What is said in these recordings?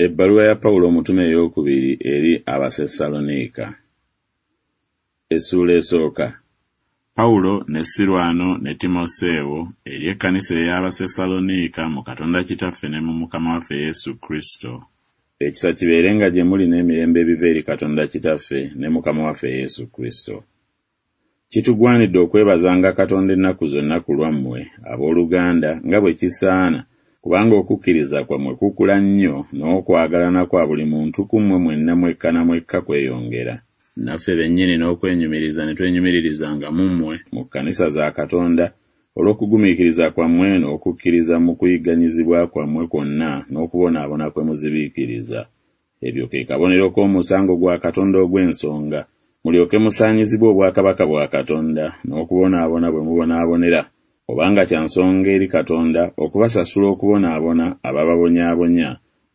Ebbaluwa ya Pawulo omutume ey'okubiri eri Abasessaloniika. Essuula esooka. Pawulo ne Sirwano ne Timoseewo eri ekkanisa ey'Abasessaloniika mu Katonda Kitaffe ne mu Mukama waffe Yesu Kristo. Ekisa kibeerenga gye muli n'emirembe ebiva eri Katonda Kitaffe ne Mukama waffe Yesu Kristo. Kitugwanidde okwebazanga Katonda ennaku zonna ku lwammwe, ab'oluganda, nga bwe kisaana, kubanga okukkiriza kwammwe kukula nnyo, n'okwagalana kwa buli muntu ku mmwe mwenna mwekka na mwekka kweyongera. Naffe bennyini n'okwenyumiriza ne twenyumiririzanga mu mmwe mu kkanisa za Katonda, olw'okugumiikiriza kwammwe n'okukkiriza mu kuyigganyizibwa kwammwe kwonna n'okubonaabona kwe muzibiikiriza. Ebyo ke kabonero k'omusango gwa Katonda ogw'ensonga, mulyoke musaanyizibwe obwakabaka bwa Katonda n'okubonaabona bwe mubonaabonera, obanga kya nsonga eri Katonda okubasasula okubonaabona abababonyaabonya,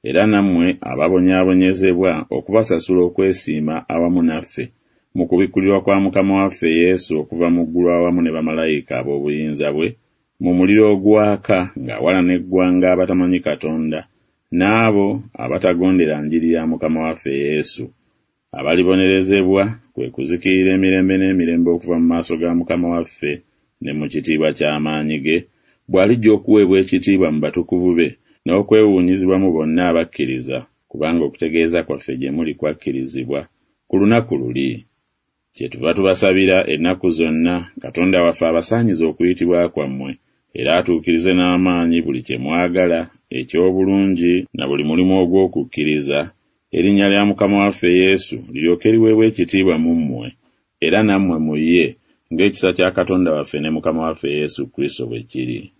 era nammwe ababonyaabonyezebwa okubasasula okwesiima awamu naffe mu kubikkulirwa kwa Mukama waffe Yesu okuva mu ggulu awamu ne bamalayika ab'obuyinza bwe, mu muliro ogwaka ng'awalana eggwanga abatamanyi Katonda n'abo abatagondera njiri ya Mukama waffe Yesu, abalibonerezebwa, kwe kuzikirira emirembe n'emirembe okuva mu maaso ga Mukama waffe ne mu kitiibwa ky'amaanyi ge, bw'alijja okuweebwa ekitiibwa mu batukuvu be n'okwewuunyizibwa mu bonna abakkiriza, kubanga okutegeeza kwaffe gye muli kwakkirizibwa, ku lunaku luli. Kyetuva tubasabira ennaku zonna, Katonda waffe abasaanyize okuyitibwa kwammwe, era atuukirize n'amaanyi buli kye mwagala eky'obulungi na buli mulimu ogw'okukkiriza, erinnya lya Mukama waffe Yesu liryoke liweebwe ekitiibwa mu mmwe, era nammwe mu ye, ng'ekisa kya Katonda waffe ne Mukama waffe Yesu Kristo bwe kiri.